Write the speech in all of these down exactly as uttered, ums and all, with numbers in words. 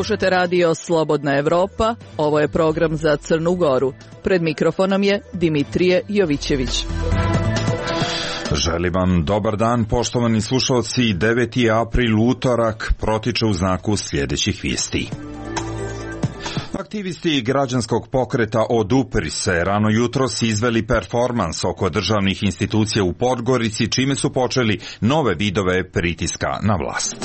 Slušate radio Slobodna Evropa, ovo je program za Crnu Goru. Pred mikrofonom je Dimitrije Jovićević. Želim vam dobar dan, poštovani slušalci. deveti april, utorak, protiče u znaku sljedećih vijesti. Aktivisti građanskog pokreta Odupri se rano jutros izveli performans oko državnih institucija u Podgorici, čime su počeli nove vidove pritiska na vlast.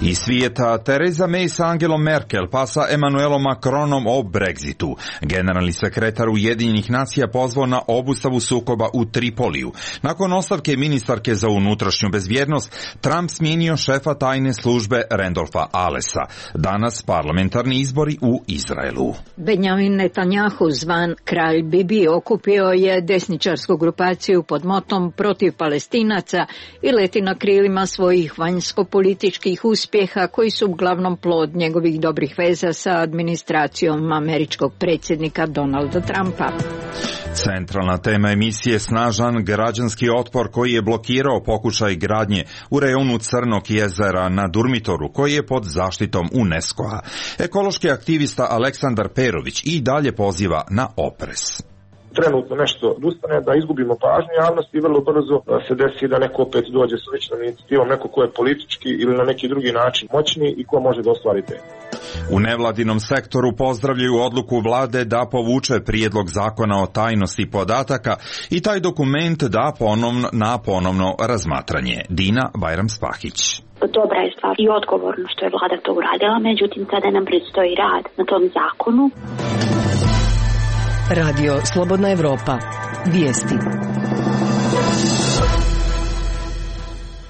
Iz svijeta, Theresa May sa Angelom Merkel pa sa Emmanuelom Macronom o Brexitu. Generalni sekretar Ujedinjenih nacija pozvao na obustavu sukoba u Tripoliju. Nakon ostavke ministarke za unutrašnju bezbjednost, Trump smijenio šefa tajne službe Randolfa Alesa. Danas parlamentarni izbori u Izraelu. Benjamin Netanjahu, zvan Kralj Bibi, okupio je desničarsku grupaciju pod motom protiv Palestinaca i leti na krilima svojih vanjsko-političkih uspjeha koji su uglavnom plod njegovih dobrih veza sa administracijom američkog predsjednika Donalda Trumpa. Centralna tema emisije snažan građanski otpor koji je blokirao pokušaj gradnje u rejonu Crnog jezera na Durmitoru koji je pod zaštitom UNESCO-a. Ekološki aktivista Aleksandar Perović i dalje poziva na oprez. Trenutno nešto odustane, da izgubimo pažnju javnosti i vrlo brzo se desi da neko opet dođe s sličnom inicijativom, neko ko je politički ili na neki drugi način moćni i ko može da ostvari te. U nevladinom sektoru pozdravljaju odluku vlade da povuče prijedlog zakona o tajnosti podataka i taj dokument da ponovno, na ponovno razmatranje. Dina Bajram-Spahić. Dobra je stvar i odgovorno što je vlada to uradila, međutim sada nam predstoji rad na tom zakonu. Radio Slobodna Evropa. Vijesti.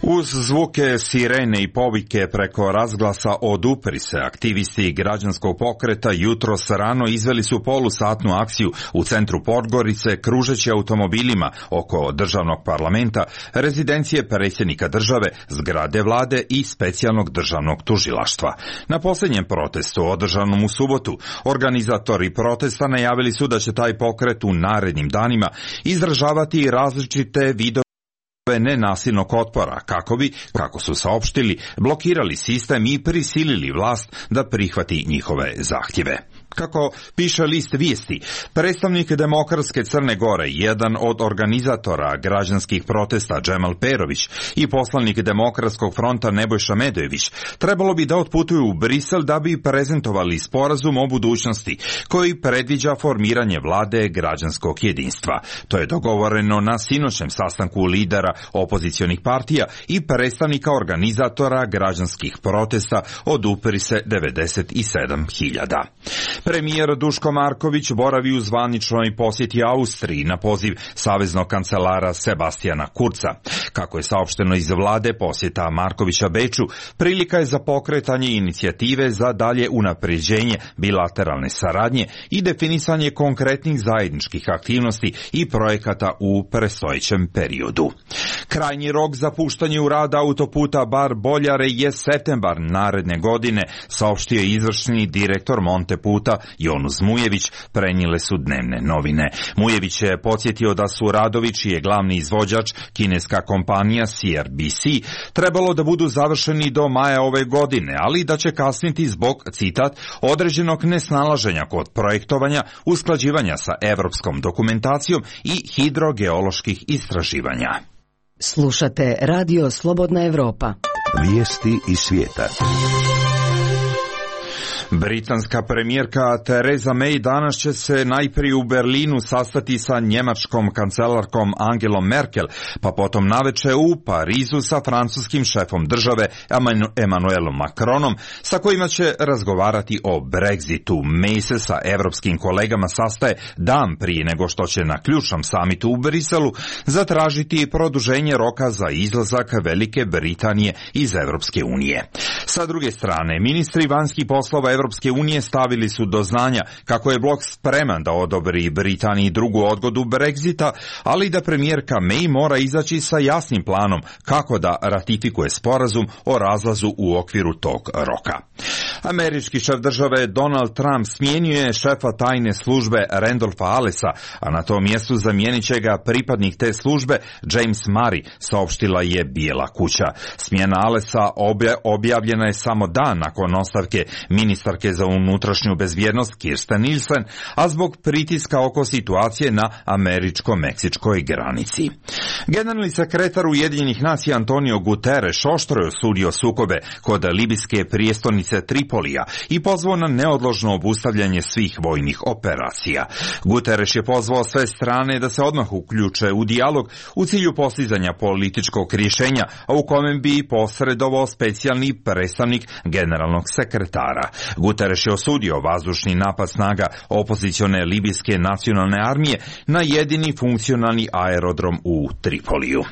Uz zvuke sirene i povike preko razglasa Odupri se, aktivisti građanskog pokreta jutros rano izveli su polusatnu akciju u centru Podgorice, kružeći automobilima oko državnog parlamenta, rezidencije predsjednika države, zgrade vlade i specijalnog državnog tužilaštva. Na posljednjem protestu, održanom u subotu, organizatori protesta najavili su da će taj pokret u narednim danima izražavati različite vidove nenasilnog otpora, kako bi, kako su saopštili, blokirali sistem i prisilili vlast da prihvati njihove zahtjeve. Kako piše list vijesti, predstavnik Demokratske Crne Gore, jedan od organizatora građanskih protesta Džemal Perović i poslanik Demokratskog fronta Nebojša Medojević trebalo bi da otputuju u Brisel da bi prezentovali sporazum o budućnosti koji predviđa formiranje vlade građanskog jedinstva. To je dogovoreno na sinoćem sastanku lidera opozicionih partija i predstavnika organizatora građanskih protesta Odupri se devedeset sedam hiljada. Premijer Duško Marković boravi u zvaničnoj posjeti Austriji na poziv saveznog kancelara Sebastijana Kurca. Kako je saopšteno iz vlade, posjeta Markovića Beču prilika je za pokretanje inicijative za dalje unapređenje bilateralne saradnje i definisanje konkretnih zajedničkih aktivnosti i projekata u predstojećem periodu. Krajnji rok za puštanje u rad autoputa Bar-Boljare je septembar naredne godine, saopštio je izvršni direktor Monteputa Jonus Mujević, prenijele su dnevne novine. Mujević je podsjetio da su radovi, čiji je glavni izvođač kineska kompanija C R B C, trebalo da budu završeni do maja ove godine, ali da će kasniti zbog, citat, određenog nesnalaženja kod projektovanja, usklađivanja sa evropskom dokumentacijom i hidrogeoloških istraživanja. Slušate Radio Slobodna Evropa. Vijesti iz svijeta. Britanska premijerka Theresa May danas će se najprije u Berlinu sastati sa njemačkom kancelarkom Angelom Merkel, pa potom naveče u Parizu sa francuskim šefom države Emmanuelom Macronom, sa kojima će razgovarati o Brexitu. May se sa evropskim kolegama sastaje dan prije nego što će na ključnom samitu u Briselu zatražiti produženje roka za izlazak Velike Britanije iz Evropske unije. Sa druge strane, ministri vanjskih poslova Evropske unije stavili su do znanja kako je blok spreman da odobri Britaniji drugu odgodu Brexita, ali da premijerka May mora izaći sa jasnim planom kako da ratifikuje sporazum o razlazu u okviru tog roka. Američki šef države Donald Trump smijenio je šefa tajne službe Randolpha Allesa, a na tom mjestu zamijenit će ga pripadnik te službe James Murray, saopštila je Bijela kuća. Smjena Allesa objavljena je samo dan nakon ostavke ministarke za unutrašnju bezbjednost Kirstjen Nielsen, a zbog pritiska oko situacije na američko-meksičkoj granici. Generalni sekretar Ujedinjenih nacija Antonio Guterres oštro je osudio sukobe kod libijske prijestolnice Tripolija i pozvao na neodložno obustavljanje svih vojnih operacija. Guterres je pozvao sve strane da se odmah uključe u dijalog u cilju postizanja političkog rješenja, a u kojem bi posredovao specijalni predstavnik generalnog sekretara. Guterres je osudio vazdušni napad snaga opozicione libijske nacionalne armije na jedini funkcionalni aerodrom u Tripoliju.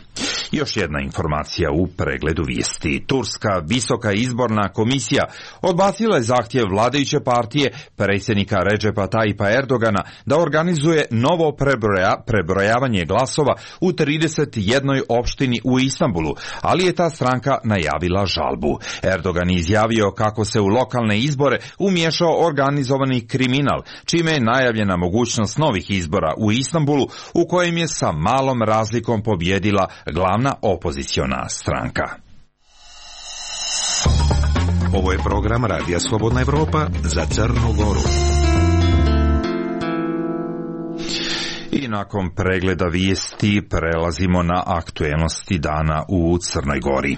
Još jedna informacija u pregledu vijesti. Turska visoka izborna komisija odbacila je zahtjev vladajuće partije predsjednika Redžepa Tayyipa Erdogana da organizuje novo prebroja, prebrojavanje glasova u trideset jednoj opštini u Istanbulu, ali je ta stranka najavila žalbu. Erdogan je izjavio kako se u lokalne izbore umiješao organizovani kriminal, čime je najavljena mogućnost novih izbora u Istanbulu, u kojem je sa malom razlikom pobjedila glavna opoziciona stranka. Ovo je program Radija Slobodna Evropa za Crnu Goru. I nakon pregleda vijesti prelazimo na aktuelnosti dana u Crnoj Gori.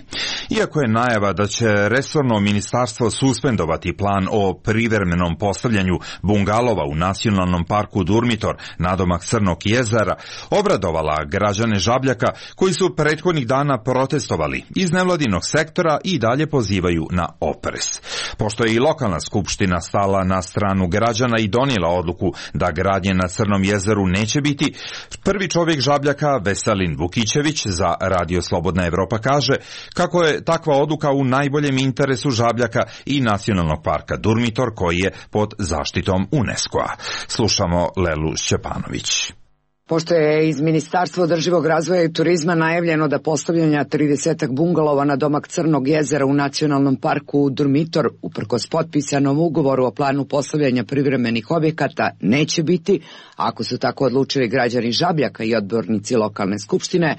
Iako je najava da će resorno ministarstvo suspendovati plan o privremenom postavljanju bungalova u nacionalnom parku Durmitor nadomak Crnog jezera obradovala građane Žabljaka koji su prethodnih dana protestovali iz nevladinog sektora i dalje pozivaju na oprez. Pošto je i lokalna skupština stala na stranu građana i donijela odluku da gradnje na Crnom jezeru neće biti, prvi čovjek Žabljaka Veselin Vukićević za Radio Slobodna Evropa kaže kako je takva odluka u najboljem interesu Žabljaka i nacionalnog parka Durmitor koji je pod zaštitom UNESCO-a. Slušamo Lelu Šćepanović. Pošto je iz Ministarstva održivog razvoja i turizma najavljeno da postavljanja tridesetak bungalova na domak Crnog jezera u nacionalnom parku Durmitor, uprkos potpisanom ugovoru o planu postavljanja privremenih objekata, neće biti, ako su tako odlučili građani Žabljaka i odbornici lokalne skupštine,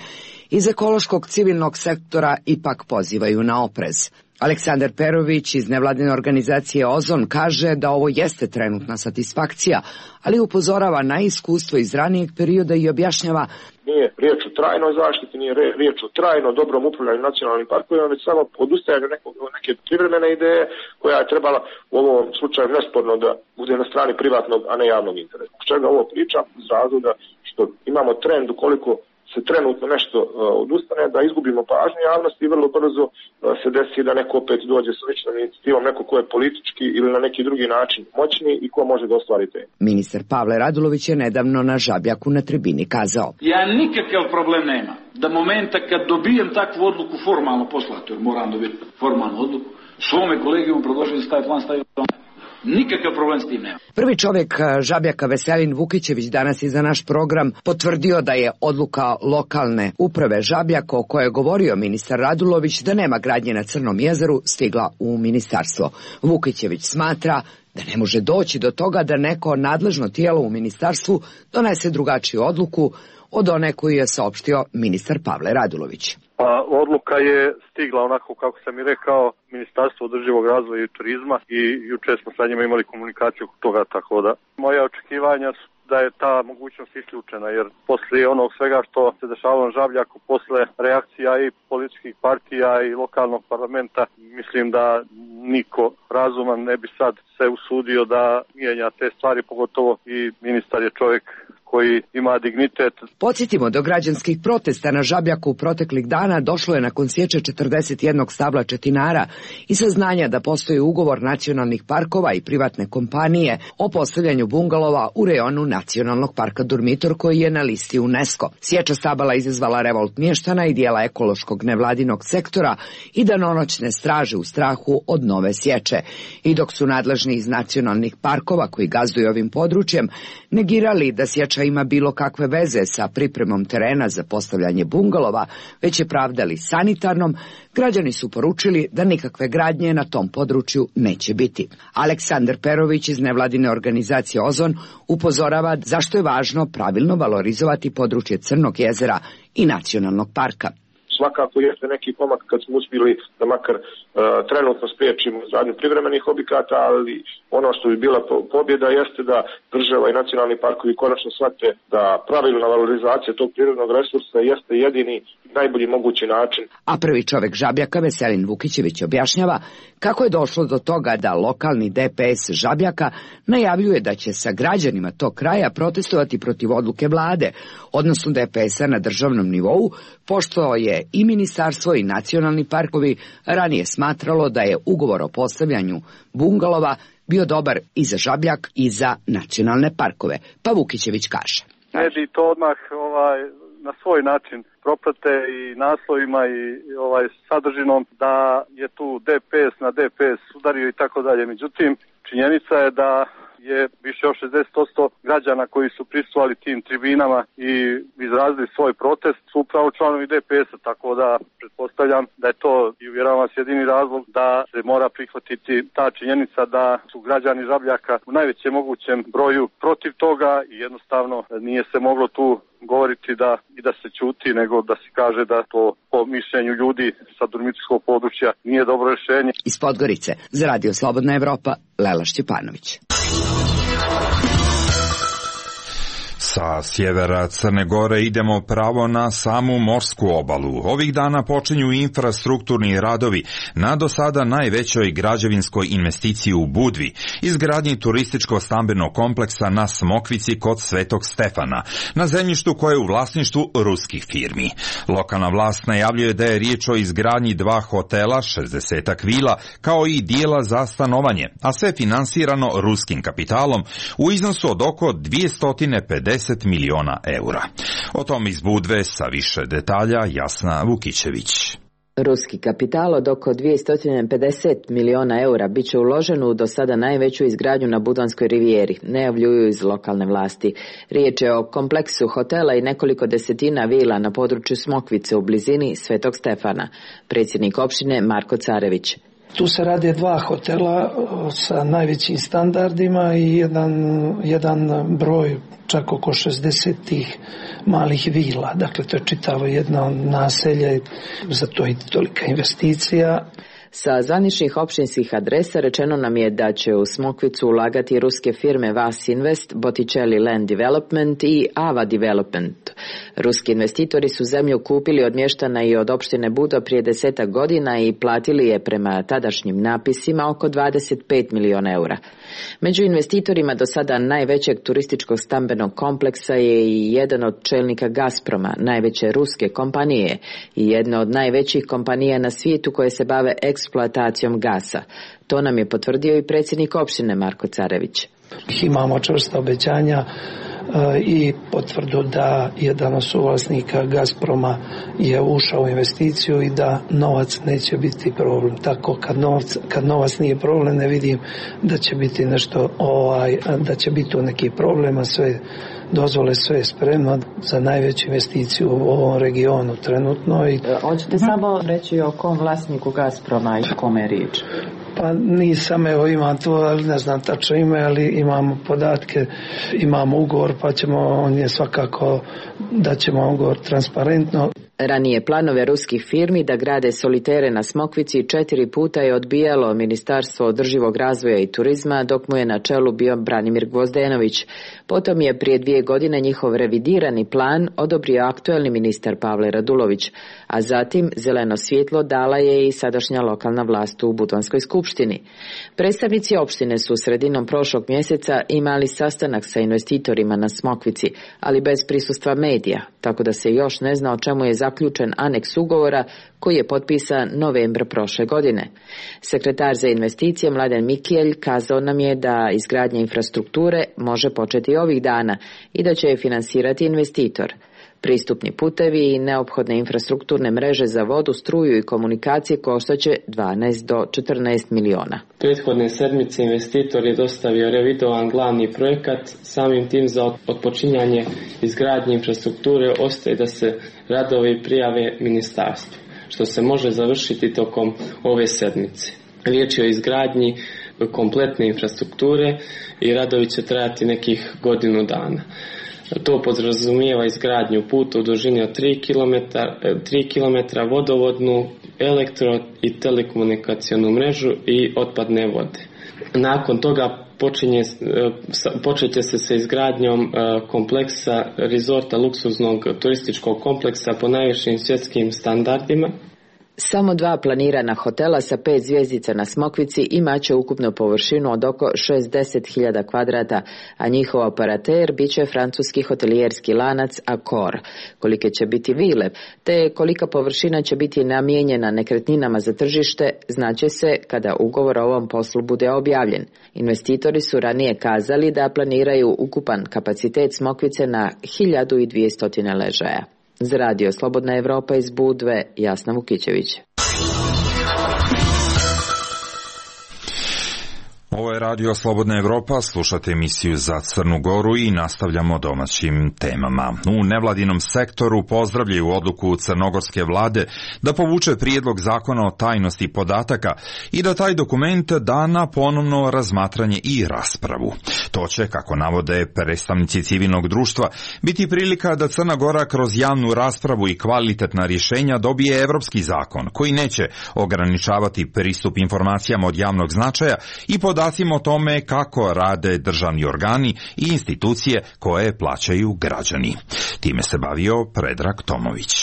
iz ekološkog civilnog sektora ipak pozivaju na oprez. Aleksandar Perović iz nevladine organizacije Ozon kaže da ovo jeste trenutna satisfakcija, ali upozorava na iskustvo iz ranijeg perioda i objašnjava: nije riječ o trajnoj zaštiti, nije riječ o trajno dobrom upravljanju nacionalnim parkovima, već samo odustajanju neke privremene ideje koja je trebala u ovom slučaju nesporno da bude na strani privatnog, a ne javnog interesa. Zbog čega ovo pričam? Iz razloga što imamo trend ukoliko se trenutno nešto uh, odustane, da izgubimo pažnju javnosti i vrlo brzo uh, se desi da neko opet dođe s sličnom inicijativom, neko ko je politički ili na neki drugi način moćni i ko može da ostvari te. Ministar Pavle Radulović je nedavno na Žabljaku na tribini kazao: ja nikakav problem nema da momenta kad dobijem takvu odluku formalno poslati, jer moram dobiti formalnu odluku, svome kolegijum predložiti da staje plan stavio plan. Nikakav problem s tim nema. Prvi čovjek Žabljaka Veselin Vukićević danas je za naš program potvrdio da je odluka lokalne uprave Žabljaka o kojoj je govorio ministar Radulović da nema gradnje na Crnom jezeru stigla u ministarstvo. Vukićević smatra da ne može doći do toga da neko nadležno tijelo u ministarstvu donese drugačiju odluku od one koju je saopštio ministar Pavle Radulović. Pa odluka je stigla onako kako sam i rekao, Ministarstvo održivog razvoja i turizma, i juče smo sa njima imali komunikaciju oko toga, tako da moja očekivanja su da je ta mogućnost isključena, jer poslije onog svega što se dešavalo na Žabljaku, posle reakcija i političkih partija i lokalnog parlamenta, mislim da niko razuman ne bi sad se usudio da mijenja te stvari, pogotovo i ministar je čovjek koji ima dignitet. Podsjetimo, do građanskih protesta na Žabljaku proteklih dana došlo je nakon sječe četrdeset jednog stabla četinara i saznanja da postoji ugovor nacionalnih parkova i privatne kompanije o postavljanju bungalova u rejonu Nacionalnog parka Durmitor koji je na listi UNESCO. Sječa stabala izazvala revolt mještana i dijela ekološkog nevladinog sektora i danonoćne straže u strahu od nove sječe. I dok su nadležni iz nacionalnih parkova koji gazduju ovim područjem negirali da sječa ima bilo kakve veze sa pripremom terena za postavljanje bungalova, već je pravdali sanitarnom, građani su poručili da nikakve gradnje na tom području neće biti. Aleksandar Perović iz nevladine organizacije Ozon upozorava zašto je važno pravilno valorizovati područje Crnog jezera i nacionalnog parka. Svakako jeste neki pomak kad smo uspjeli da makar uh, trenutno spriječimo izgradnju privremenih objekata, ali ono što bi bila pobjeda jeste da država i nacionalni parkovi konačno shvate da pravilna valorizacija tog prirodnog resursa jeste jedini najbolji mogući način. A prvi čovjek Žabljaka, Veselin Vukićević, objašnjava kako je došlo do toga da lokalni D P S Žabljaka najavljuje da će sa građanima tog kraja protestovati protiv odluke vlade, odnosno D P S-a na državnom nivou, pošto je i ministarstvo i nacionalni parkovi ranije smatralo da je ugovor o postavljanju bungalova bio dobar i za Žabljak i za nacionalne parkove. Pa Vukićević kaže. Mediji to odmah ovaj, na svoj način proprate i naslovima i ovaj, sadržinom da je tu D P S na D P S udario i tako dalje. Međutim, činjenica je da je više od šezdeset posto građana koji su prisustvovali tim tribinama i izrazili svoj protest su upravo članovi D P S-a, tako da pretpostavljam da je to i uvjeravam vas jedini razlog da se mora prihvatiti ta činjenica da su građani Žabljaka u najvećem mogućem broju protiv toga i jednostavno nije se moglo tu govoriti da i da se ćuti, nego da se kaže da to po mišljenju ljudi sa durmitorskog područja nije dobro rješenje. Iz Podgorice za Radio Slobodna Evropa, Lela Šćepanović. Sa sjevera Crne Gore idemo pravo na samu morsku obalu. Ovih dana počinju infrastrukturni radovi na do sada najvećoj građevinskoj investiciji u Budvi, izgradnji turističko-stambenog kompleksa na Smokvici kod Svetog Stefana, na zemljištu koje je u vlasništvu ruskih firmi. Lokalna vlast najavljuje da je riječ o izgradnji dva hotela, šezdesetak vila, kao i dijela za stanovanje, a sve finansirano ruskim kapitalom u iznosu od oko dvjesto pedeset miliona eura. O tom iz Budve sa više detalja Jasna Vukićević. Ruski kapital od oko dvjesto pedeset miliona eura bit će uložen u do sada najveću izgradnju na Budvanskoj rivijeri, najavljuju iz lokalne vlasti. Riječ je o kompleksu hotela i nekoliko desetina vila na području Smokvice u blizini Svetog Stefana. Predsjednik opštine Marko Carević. Tu se rade dva hotela sa najvećim standardima i jedan, jedan broj čak oko šezdeset malih vila. Dakle, to je čitavo jedno naselje, za to i tolika investicija. Sa zvaničnih opštinskih adresa rečeno nam je da će u Smokvicu ulagati ruske firme Vas Invest, Botticelli Land Development i Ava Development. Ruski investitori su zemlju kupili od mještana i od opštine Budo prije desetak godina i platili je prema tadašnjim napisima oko dvadeset pet miliona eura. Među investitorima do sada najvećeg turističkog stambenog kompleksa je i jedan od čelnika Gazproma, najveće ruske kompanije i jedna od najvećih kompanija na svijetu koje se bave eksploatacijom gasa. To nam je potvrdio i predsjednik opštine Marko Carević. Imamo čvrsta obećanja i potvrdu da jedan od suvlasnika Gazproma je ušao u investiciju i da novac neće biti problem. Tako kad novac, kad novac nije problem, ne vidim da će biti nešto ovaj, da će biti tu neki problema, sve dozvole, sve je spremno za najveću investiciju u ovom regionu trenutno. I... Hoćete samo reći o kom vlasniku Gazproma i kome je riječ? Pa nisam, evo imam to, ali ne znam tačno ime, ali imamo podatke, imamo ugovor, pa ćemo, on je svakako da ćemo ugovor transparentno. Ranije planove ruskih firmi da grade solitere na Smokvici četiri puta je odbijalo Ministarstvo održivog razvoja i turizma dok mu je na čelu bio Branimir Gvozdenović. Potom je prije dvije godine njihov revidirani plan odobrio aktuelni ministar Pavle Radulović, a zatim zeleno svjetlo dala je i sadašnja lokalna vlast u Budvanskoj skupštini. Predstavnici opštine su sredinom prošlog mjeseca imali sastanak sa investitorima na Smokvici, ali bez prisustva medija, tako da se još ne zna o čemu je zaključen aneks ugovora koji je potpisan novembra prošle godine. Sekretar za investicije Mladen Mikijelj kazao nam je da izgradnja infrastrukture može početi ovih dana i da će je finansirati investitor. Pristupni putevi i neophodne infrastrukturne mreže za vodu, struju i komunikacije koštaće dvanaest do četrnaest miliona. Prethodne sedmice investitor je dostavio revidovan glavni projekat, samim tim za otpočinjanje izgradnje infrastrukture ostaje da se radovi prijave ministarstvu, što se može završiti tokom ove sedmice. Riječ je o izgradnji kompletne infrastrukture i radovi će trajati nekih godinu dana. To podrazumijeva izgradnju puta u dužini od tri kilometra, vodovodnu, elektro i telekomunikacionu mrežu i otpadne vode. Nakon toga počinje, počet će se sa izgradnjom kompleksa rezorta luksuznog turističkog kompleksa po najvišim svjetskim standardima. Samo dva planirana hotela sa pet zvjezdica na Smokvici imaće ukupnu površinu od oko šezdeset hiljada kvadrata, a njihov operater bit će francuski hotelijerski lanac Accor. Kolike će biti vile, te kolika površina će biti namijenjena nekretninama za tržište, znaće se kada ugovor o ovom poslu bude objavljen. Investitori su ranije kazali da planiraju ukupan kapacitet Smokvice na hiljadu dvjesto ležaja. Za radio Slobodna Evropa iz Budve, Jasna Vukićević. Ovo je radio Slobodna Evropa, slušate emisiju Za Crnu Goru i nastavljamo domaćim temama. U nevladinom sektoru pozdravljaju odluku crnogorske vlade da povuče prijedlog zakona o tajnosti podataka i da taj dokument da na ponovno razmatranje i raspravu. To će, kako navode predstavnici civilnog društva, biti prilika da Crna Gora kroz javnu raspravu i kvalitetna rješenja dobije evropski zakon koji neće ograničavati pristup informacijama od javnog značaja i podacima o tome kako rade državni organi i institucije koje plaćaju građani. Time se bavio Predrag Tomović.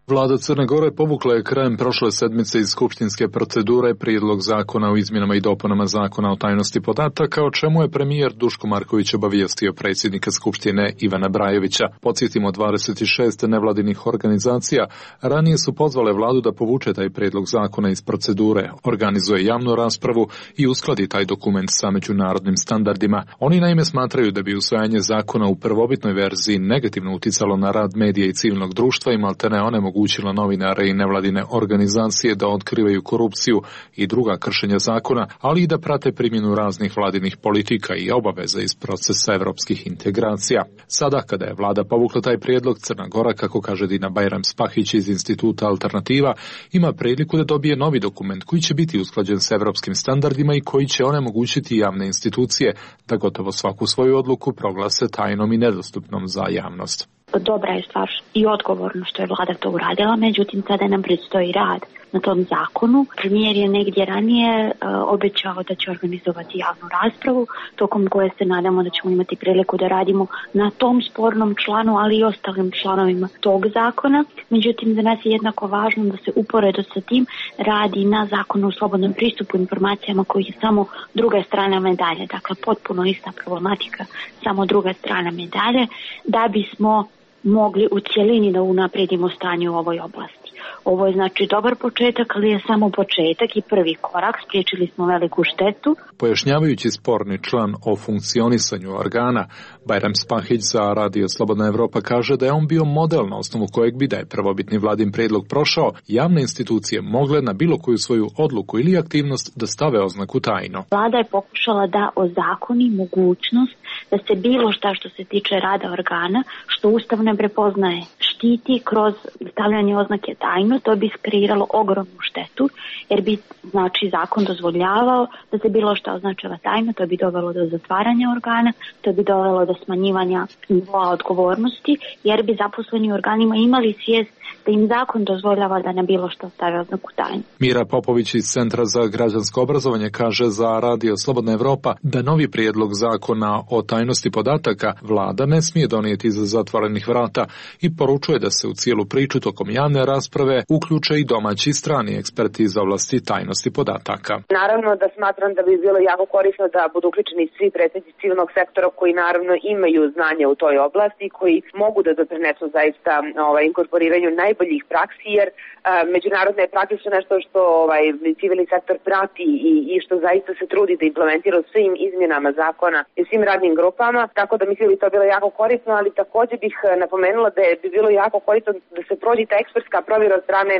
Vlada Crne Gore povukla je krajem prošle sedmice iz skupštinske procedure prijedlog zakona o izmjenama i dopunama zakona o tajnosti podataka, o čemu je premijer Duško Marković obavijestio predsjednika Skupštine Ivana Brajevića. Podsjetimo, dvadeset šest nevladinih organizacija ranije su pozvale vladu da povuče taj prijedlog zakona iz procedure, organizuje javnu raspravu i uskladi taj dokument sa međunarodnim standardima. Oni naime smatraju da bi usvajanje zakona u prvobitnoj verziji negativno uticalo na rad medija i civilnog društva i maltene onemogućilo novinare i nevladine organizacije da otkrivaju korupciju i druga kršenja zakona, ali i da prate primjenu raznih vladinih politika i obaveza iz procesa evropskih integracija. Sada, kada je vlada povukla taj prijedlog, Crna Gora, kako kaže Dina Bajram Spahić iz Instituta Alternativa, ima priliku da dobije novi dokument koji će biti usklađen s evropskim standardima i koji će onemogućiti javne institucije da gotovo svaku svoju odluku proglase tajnom i nedostupnom za javnost. Dobra je stvar i odgovorno što je vlada to uradila, međutim sada nam predstoji rad na tom zakonu. Premijer je negdje ranije uh, obećao da će organizovati javnu raspravu, tokom koje se nadamo da ćemo imati priliku da radimo na tom spornom članu, ali i ostalim članovima tog zakona. Međutim, za nas je jednako važno da se uporedo sa tim radi na zakonu o slobodnom pristupu informacijama koji je samo druga strana medalje, dakle potpuno ista problematika, samo druga strana medalje, da bismo mogli u cjelini da unaprijedimo stanje u ovoj oblasti. Ovo je znači dobar početak, ali je samo početak i prvi korak, spriječili smo veliku štetu. Pojašnjavajući sporni član o funkcionisanju organa, Bajram Spahić za radio Slobodna Evropa kaže da je on bio model na osnovu kojeg bi, da je prvobitni vladin prijedlog prošao, javne institucije mogle na bilo koju svoju odluku ili aktivnost da stave oznaku tajno. Vlada je pokušala da ozakoni mogućnost da se bilo šta što se tiče rada organa, što Ustav ne prepoznaje, štiti kroz stavljanje oznake tajno. To bi kreiralo ogromnu štetu, jer bi znači zakon dozvoljavao da se bilo što označava tajno, to bi dovelo do zatvaranja organa, to bi dovelo do smanjivanja nivoa odgovornosti, jer bi zaposleni u organima imali svijest da im zakon dozvoljava da na bilo što stave oznaku tajne. Mira Popović iz Centra za građansko obrazovanje kaže za Radio Slobodna Evropa da novi prijedlog zakona o tajnosti podataka vlada ne smije donijeti iza zatvorenih vrata i poručuje da se u cijelu priču tokom javne rasprave uključe i domaći i strani eksperti iz oblasti tajnosti podataka. Naravno da smatram da bi bilo jako korisno da budu uključeni svi predstavnici civilnog sektora koji naravno imaju znanje u toj oblasti i koji mogu da doprinesu zaista ovaj, inkorporiranju najboljih praksi, jer a, međunarodne prakse su nešto što ovaj, civilni sektor prati i, i što zaista se trudi da implementira u svim izmjenama zakona i svim radnim grupama, tako da mislim da bi to bilo jako korisno, ali također bih napomenula da bi bilo jako korisno da se prođe ta ekspertska provjera od strane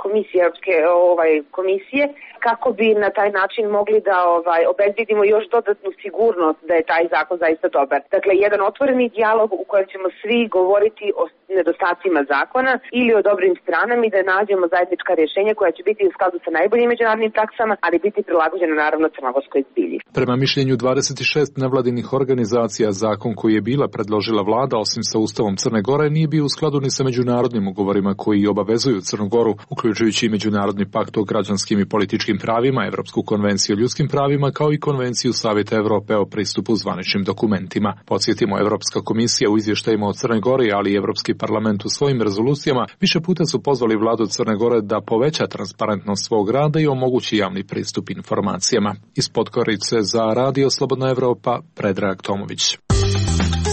komisije, Europske ovaj, komisije, kako bi na taj način mogli da ovaj, obezbedimo još dodatnu sigurnost da je taj zakon zaista dobar. Dakle, jedan otvoreni dijalog u kojem ćemo svi govoriti o nedostacima zakona ili o dobrim stranama i da nađemo zajednička rješenja koja će biti u skladu sa najboljim međunarodnim praksama, ali biti prilagođena naravno crnogorskoj zbilji. Prema mišljenju dvadeset šest nevladinih organizacija, zakon koji je bila predložila vlada, osim sa Ustavom Crne Gore, nije bio u skladu ni sa međunarodnim ugovorima koji obavezuju Crnu Goru, uključujući i Međunarodni pakt o građanskim i političkim pravima, Evropsku konvenciju o ljudskim pravima, kao i Konvenciju Savjeta Evrope o pristupu zvaničnim dokumentima. Podsjetimo, Evropska komisija u izvještajima o Crnoj Gori, ali i Evropski parlament u svojim rezolucijama više puta su pozvali vladu Crne Gore da poveća transparentnost svog rada i omogući javni pristup informacijama. Iz Podgorice za Radio Slobodna Evropa, Predrag Tomović.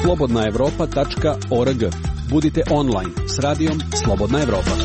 slobodna evropa tačka org. Budite online s radijom Slobodna Evropa.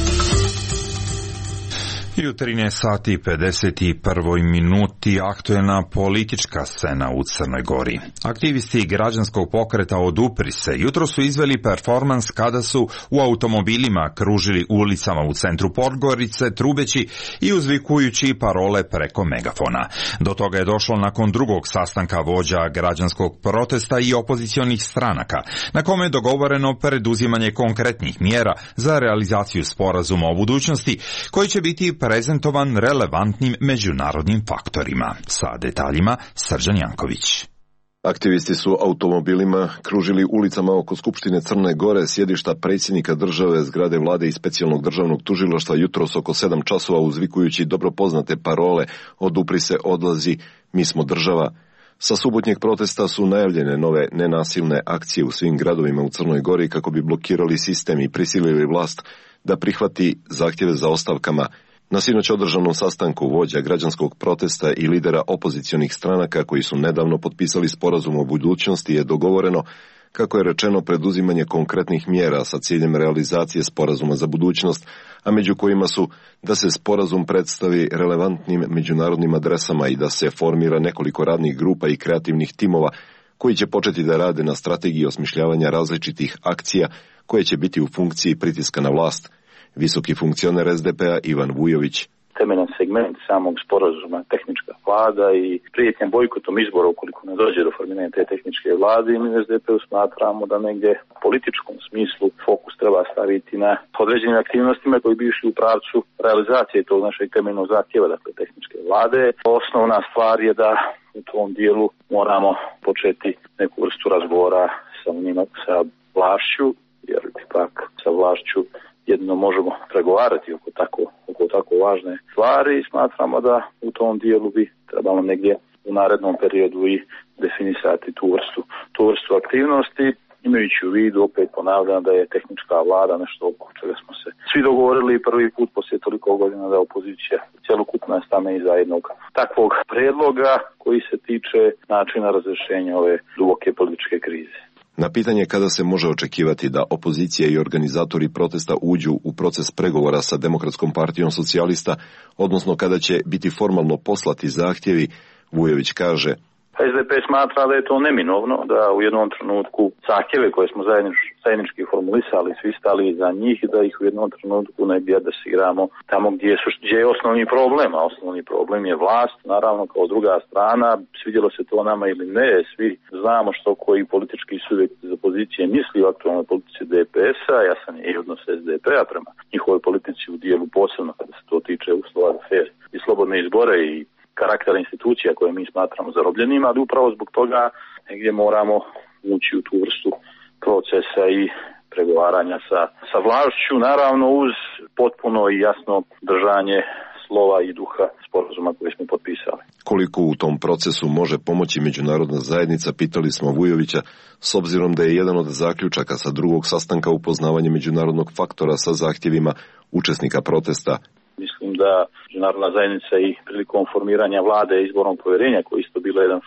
I u trinaest sati i pedeset prvoj minuti aktuelna politička scena u Crnoj Gori. Aktivisti građanskog pokreta Odupri se jutro su izveli performans kada su u automobilima kružili ulicama u centru Podgorice, trubeći i uzvikujući parole preko megafona. Do toga je došlo nakon drugog sastanka vođa građanskog protesta i opozicionih stranaka, na kome je dogovoreno preduzimanje konkretnih mjera za realizaciju sporazuma o budućnosti, koji će biti prezentovan relevantnim međunarodnim faktorima. Sa detaljima Srđan Janković. Aktivisti su automobilima kružili ulicama oko Skupštine Crne Gore, sjedišta predsjednika države, zgrade vlade i specijalnog državnog tužilaštva jutros oko sedam časova, uzvikujući dobro poznate parole "Odupri se, odlazi, mi smo država". Sa subotnjeg protesta su najavljene nove nenasilne akcije u svim gradovima u Crnoj Gori kako bi blokirali sistem i prisilili vlast da prihvati zahtjeve za ostavkama. Na sinoć održanom sastanku vođa građanskog protesta i lidera opozicionih stranaka koji su nedavno potpisali sporazum o budućnosti je dogovoreno, kako je rečeno, preduzimanje konkretnih mjera sa ciljem realizacije sporazuma za budućnost, a među kojima su da se sporazum predstavi relevantnim međunarodnim adresama i da se formira nekoliko radnih grupa i kreativnih timova koji će početi da rade na strategiji osmišljavanja različitih akcija koje će biti u funkciji pritiska na vlast. Visoki funkcioner es de pe-a Ivan Vujović. Temeljan segment samog sporazuma tehnička vlada i prijetnja bojkotom izbora ukoliko ne dođe do formiranja te tehničke vlade, i mi u es de pe-u smatramo da negdje u političkom smislu fokus treba staviti na određenim aktivnostima koji bi išli u pravcu realizacije tog našeg temeljnog zahtjeva, dakle tehničke vlade. Osnovna stvar je da u tom dijelu moramo početi neku vrstu razgovora sa njima, sa vlašću, jer ipak sa vlašću jedino možemo pregovarati oko tako, oko tako važne stvari i smatramo da u tom dijelu bi trebalo negdje u narednom periodu i definisati tu vrstu, tu vrstu aktivnosti, imajući u vidu, opet ponavljam, da je tehnička vlada nešto oko čega smo se svi dogovorili prvi put poslije toliko godina da opozicija cjelokupna stane iza jednog takvog predloga koji se tiče načina razrješenja ove duboke političke krize. Na pitanje kada se može očekivati da opozicija i organizatori protesta uđu u proces pregovora sa Demokratskom partijom socijalista, odnosno kada će biti formalno poslati zahtjevi, Vujović kaže: es de pe smatra da je to neminovno, da u jednom trenutku zahtjeve koje smo zajednič, zajednički formulisali, svi stali iza njih, da ih u jednom trenutku negdje adresiramo tamo gdje, su, gdje je osnovni problem, a osnovni problem je vlast, naravno kao druga strana, svidjelo se to nama ili ne, svi znamo što koji politički subjekt iz opozicije misli o aktualnoj politici de pe es-a, jasan je i odnos es de pe-a prema njihovoj politici u dijelu posebno kada se to tiče uslova za fer i slobodne izbore i karaktera institucija koje mi smatramo zarobljenima, ali upravo zbog toga negdje moramo ući u tu vrstu procesa i pregovaranja sa, sa vlašću, naravno uz potpuno i jasno držanje slova i duha sporazuma koji smo potpisali. Koliko u tom procesu može pomoći međunarodna zajednica, pitali smo Vujovića, s obzirom da je jedan od zaključaka sa drugog sastanka upoznavanje međunarodnog faktora sa zahtjevima učesnika protesta. Mislim da međunarodna zajednica i prilikom formiranja vlade i izborom povjerenja, koji isto bilo jedan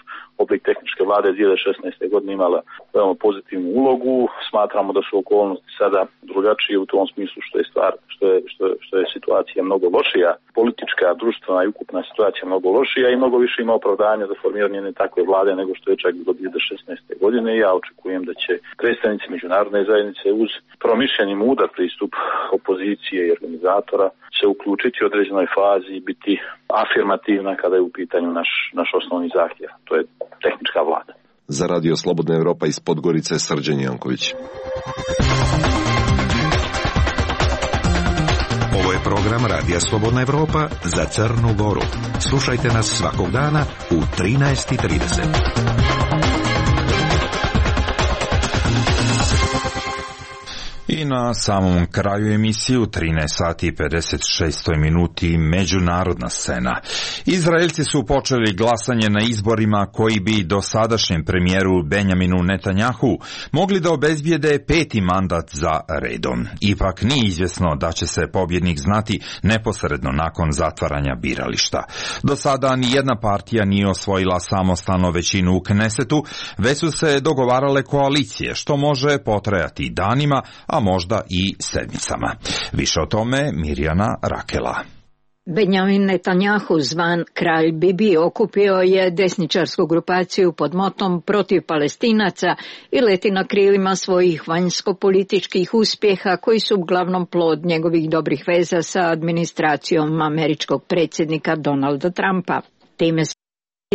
oblik tehničke vlade dvije hiljade šesnaeste. godine imala veoma pozitivnu ulogu. Smatramo da su okolnosti sada drugačije u tom smislu što je stvar, što je, što je, što je situacija mnogo lošija. Politička, društvena i ukupna situacija mnogo lošija i mnogo više ima opravdanja za formiranje jedne takve vlade nego što je čak bilo dvije hiljade šesnaeste. godine. Ja očekujem da će predstavnici međunarodne zajednice uz promišljeni mudar pristup opozicije i organizatora se uključiti u određenoj fazi i biti afirmativna kada je u pitanju naš, naš osnovni zahtjev. To je tehnička vlada. Za Radio Slobodna Evropa iz Podgorice, Srđan Janković. Ovo je program Radija Slobodna Evropa za Crnu Goru. Slušajte nas svakog dana u trinaest i trideset. I na samom kraju emisije u trinaest sati i pedeset šest minuti međunarodna scena. Izraelci su počeli glasanje na izborima koji bi dosadašnjem premijeru Benjaminu Netanjahu mogli da obezbijede peti mandat za redom. Ipak nije izvjesno da će se pobjednik znati neposredno nakon zatvaranja birališta. Do sada ni jedna partija nije osvojila samostalno većinu u Knesetu, već su se dogovarale koalicije, što može potrajati danima, a možda i sedmicama. Više o tome Mirjana Rakela. Benjamin Netanjahu, zvan Kralj Bibi, okupio je desničarsku grupaciju pod motom protiv Palestinaca i leti na krilima svojih vanjsko-političkih uspjeha koji su uglavnom plod njegovih dobrih veza sa administracijom američkog predsjednika Donalda Trumpa. Time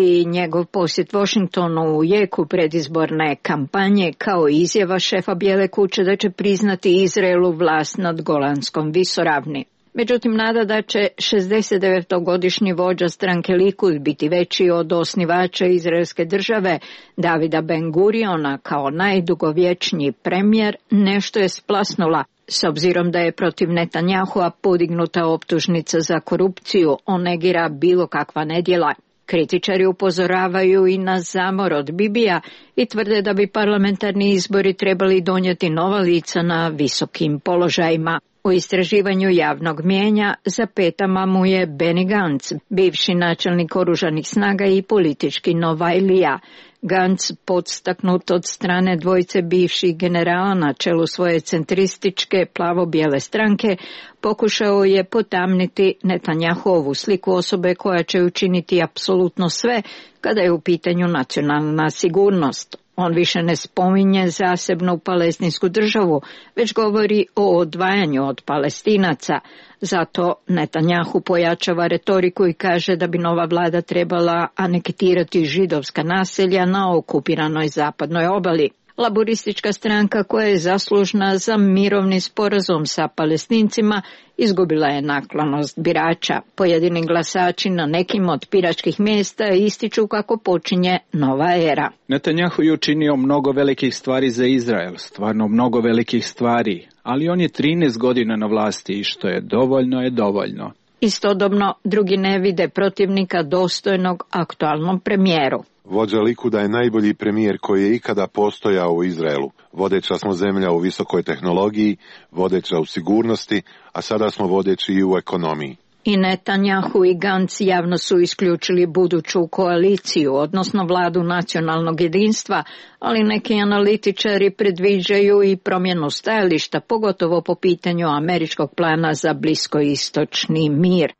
i njegov posjet Washingtonu u jeku predizborne kampanje kao izjava šefa Bijele kuće da će priznati Izraelu vlast nad Golanskom visoravni. Međutim, nada da će šezdesetdevetogodišnji vođa stranke Likud biti veći od osnivača izraelske države, Davida Ben-Guriona, kao najdugovječniji premijer, nešto je splasnula, s obzirom da je protiv Netanjahua podignuta optužnica za korupciju, on negira bilo kakva nedjela. Kritičari upozoravaju i na zamor od Bibija i tvrde da bi parlamentarni izbori trebali donijeti nova lica na visokim položajima. U istraživanju javnog mijenja za petama mu je Benny Gantz, bivši načelnik oružanih snaga i politički novajlija. Gantz, podstaknut od strane dvojice bivših generala na čelu svoje centrističke plavo-bijele stranke, pokušao je potamniti Netanjahuovu sliku osobe koja će učiniti apsolutno sve kada je u pitanju nacionalna sigurnost. On više ne spominje zasebnu palestinsku državu, već govori o odvajanju od Palestinaca. Zato Netanjahu pojačava retoriku i kaže da bi nova vlada trebala anektirati židovska naselja na okupiranoj zapadnoj obali. Laboristička stranka, koja je zaslužna za mirovni sporazum sa Palestincima, izgubila je naklonost birača. Pojedini glasači na nekim od biračkih mjesta ističu kako počinje nova era. Netanjahu je učinio mnogo velikih stvari za Izrael, stvarno mnogo velikih stvari, ali on je trinaest godina na vlasti i što je dovoljno je dovoljno. Istodobno, drugi ne vide protivnika dostojnog aktualnom premijeru. Vođa Likuda je najbolji premijer koji je ikada postojao u Izraelu. Vodeća smo zemlja u visokoj tehnologiji, vodeća u sigurnosti, a sada smo vodeći i u ekonomiji. I Netanjahu i Gantz javno su isključili buduću koaliciju, odnosno vladu nacionalnog jedinstva, ali neki analitičari predviđaju i promjenu stajališta, pogotovo po pitanju američkog plana za bliskoistočni mir.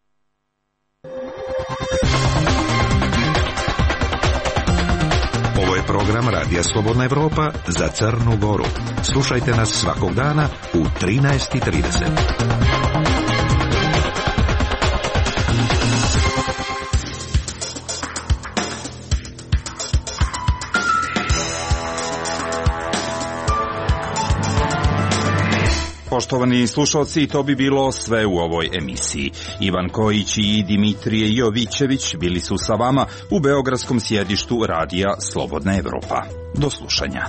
Ovo je program Radija Slobodna Evropa za Crnu Goru. Slušajte nas svakog dana u trinaest i trideset. Poštovani slušalci, to bi bilo sve u ovoj emisiji. Ivan Kojić i Dimitrije Jovićević bili su sa vama u beogradskom sjedištu Radija Slobodna Evropa. Do slušanja.